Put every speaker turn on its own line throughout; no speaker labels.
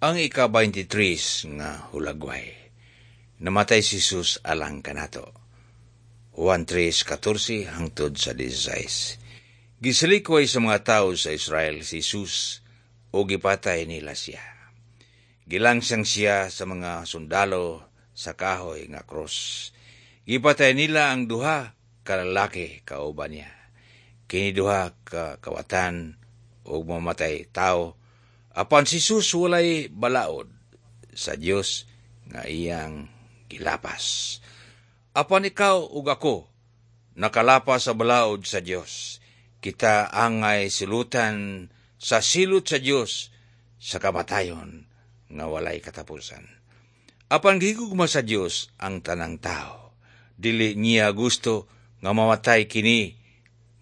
Ang ika-23 nga hulagway. Namatay si Jesus alang kanato. Juan 3:14 hangtod sa 16. Gisalikway sa mga tao sa Israel si Jesus o gipatay nila siya. Gilangsang siya sa mga sundalo sa kahoy nga krus. Gipatay nila ang duha ka lalaki kauban niya. Kini duha ka kawatan ug mamatay tao, apan si Jesus walay balaod sa Dios nga iyang gilapas. Apan ikaw ug ako nakalapas sa balaod sa Dios. Kita angay silutan sa silot sa Dios sa kamatayon nga walay katapusan. Apan gihigugma sa Dios ang tanang tao. Dili niya gusto nga mamatay kini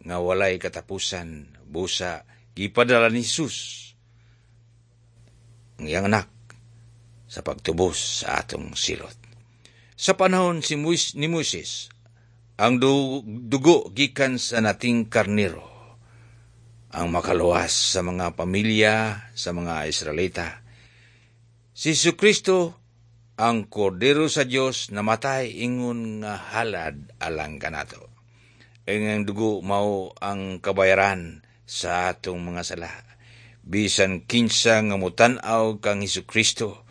nga walay katapusan, busa gipadala ni Jesus ang iyang anak sa pagtubos sa atong silot. Sa panahon ni Moises, ang dugo gikan sa nating karnero ang makaluwas sa mga pamilya sa mga Israelita. Si Kristo ang kordero sa Dios, namatay ingon nga halad alang kanato. Ang dugo mao ang kabayaran sa atong mga sala. Bisan kinsa nga mutan-aw kang Hesus Kristo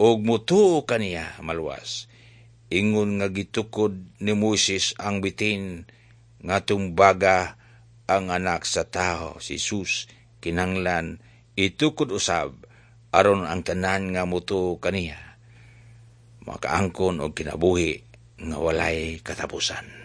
ug mutuo kaniya, maluwas. Ingon nga gitukod ni Moises ang bitin nga tumbaga ang Anak sa Tao, si Jesus, kinahanglan itukod usab aron ang tanan nga mutuo kaniya makaangkon og kinabuhi nga walay katapusan.